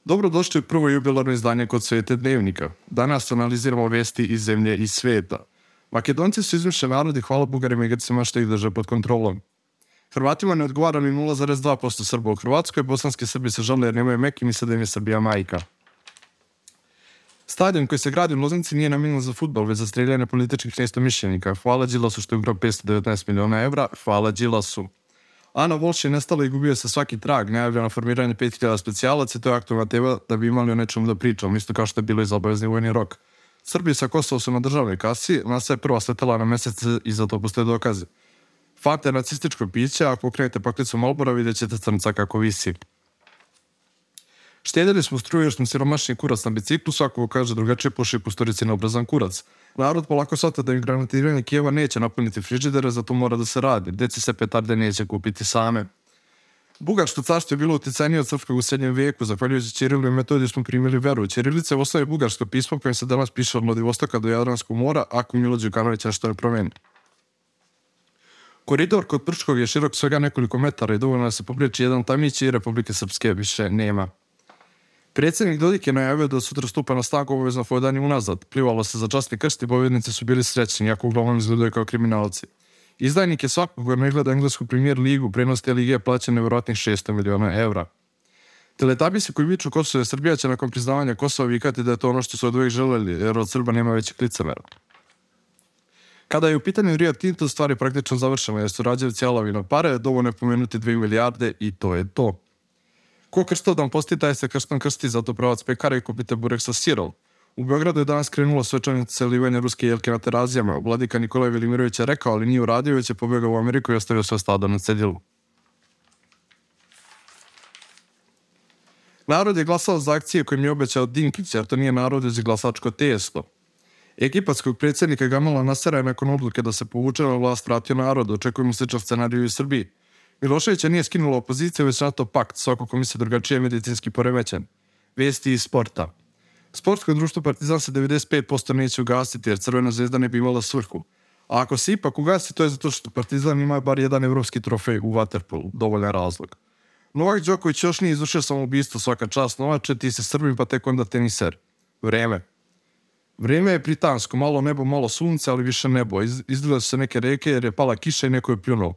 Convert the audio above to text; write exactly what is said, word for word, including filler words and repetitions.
Dobrodošli u prvo jubilarno izdanje Kod Svete dnevnika. Danas analiziramo vesti iz zemlje i sveta. Makedonci su izmišljeni narodi, hvala Bugarima i Grcima što ih drže pod kontrolom. Hrvatima ne odgovara ni nula zarez dva posto Srba u Hrvatskoj, bosanski Srbi se žale jer nemaju Mek i misle da im je Srbija majka. Stadion koji se gradi u Loznici nije namijenjen za fudbal, već za streljanje političkih neistomišljenika. Hvala Đilasu što je ukrao petsto devetnaest miliona evra, hvala Đilasu. Ana Volš je nestala i gubio se svaki trag, najavljeno formiranje pet hiljada specijalaca, to je aktualna tema da bi imali o nečemu da pričamo, isto kao što je bilo i za obavezni vojni rok. Srbi sa Kosova su na državnoj kasi, NASA je prva sletela na mesec i za to postoje dokaze. Fanta je nacističko piće, a ako okrenete paklicu Malbora vidjet ćete crnca kako visi. Štedjeli smo struju jer smo siromašni kurac na biciklu, svako kaže drugačije puši pusturici na obrazan kurac. Narod polako shvata da im granatiranje Kijeva neće napuniti frižidere, zato mora da se radi. Deci se petarde neće kupiti same. Bugarsko carstvo je bilo uticajnije od srpskog u srednjem vijeku, zahvaljujući Ćirilu i Metodiju smo primili veru. Ćirilica je u osnovi bugarsko pismo kojim se danas piše od Vladivostoka do Jadranskog mora, ako Milo Đukanović nešto ne promeni. Koridor kod Prčkog je širok svega nekoliko metara i dovoljno da se popriječi jedan tamić i Republike Srpske više nema. Predsjednik Dodik je najavio da sutra stupa na snagu obavezno hodanje unazad. Plivalo se za časni krst i bojovnici su bili srećni, jako uglavnom izgledaju kao kriminalci. Izdajnik je svakog koji ne gleda englesku premier ligu, prenos te lige je plaćen nevjerojatnih šesto miliona evra. Teletabisi koji viču Kosovo je Srbija će nakon priznavanja Kosova vikati da je to ono što su od uvijek želeli, jer od Srba nema većeg licemera. Kada je u pitanju Rio Tinto, stvar je praktično završena jer su Rađevci jalavi na pare, dovoljno je pomenuti dvije milijarde i to je to. Ko krstodom posti, taj se krstom krsti, zato pravac pekara i kupite burek sa sirom. U Beogradu je danas krenulo svečanice selivanja ruske jelke na Terazijama. Vladika Nikolaj Velimirović je rekao, ali nije uradio, već je pobjegao u Ameriku i ostavio sve stado na cedilu. Narod je glasao za akcije kojim je obećao Dinkić, jer to nije narod, već je glasačko testo. Egipatskog predsjednika Gamala Nasera je nakon odluke da se povuče na vlast vratio narod, očekujemo sličan scenariju i Srbiji. Miloševića nije skinulo opoziciju, već NATO pakt, svako ko misle drugačije medicinski poremećen. Vesti iz sporta. Sportsko društvo Partizan se devedeset pet posto neće ugasiti jer Crvena zvezda ne bi imala svrhu. A ako se ipak ugasi, to je zato što Partizan ima bar jedan evropski trofej u waterpolu, dovoljan razlog. Novak Đoković još nije izvršio samoubistvo, svaka čast Novače, ti se Srbim pa tek onda teniser. Vreme. Vreme je britansko, malo nebo, malo sunce, ali više nebo. Iz, izgleda su se neke reke jer je pala kiša i neko je pljunuo.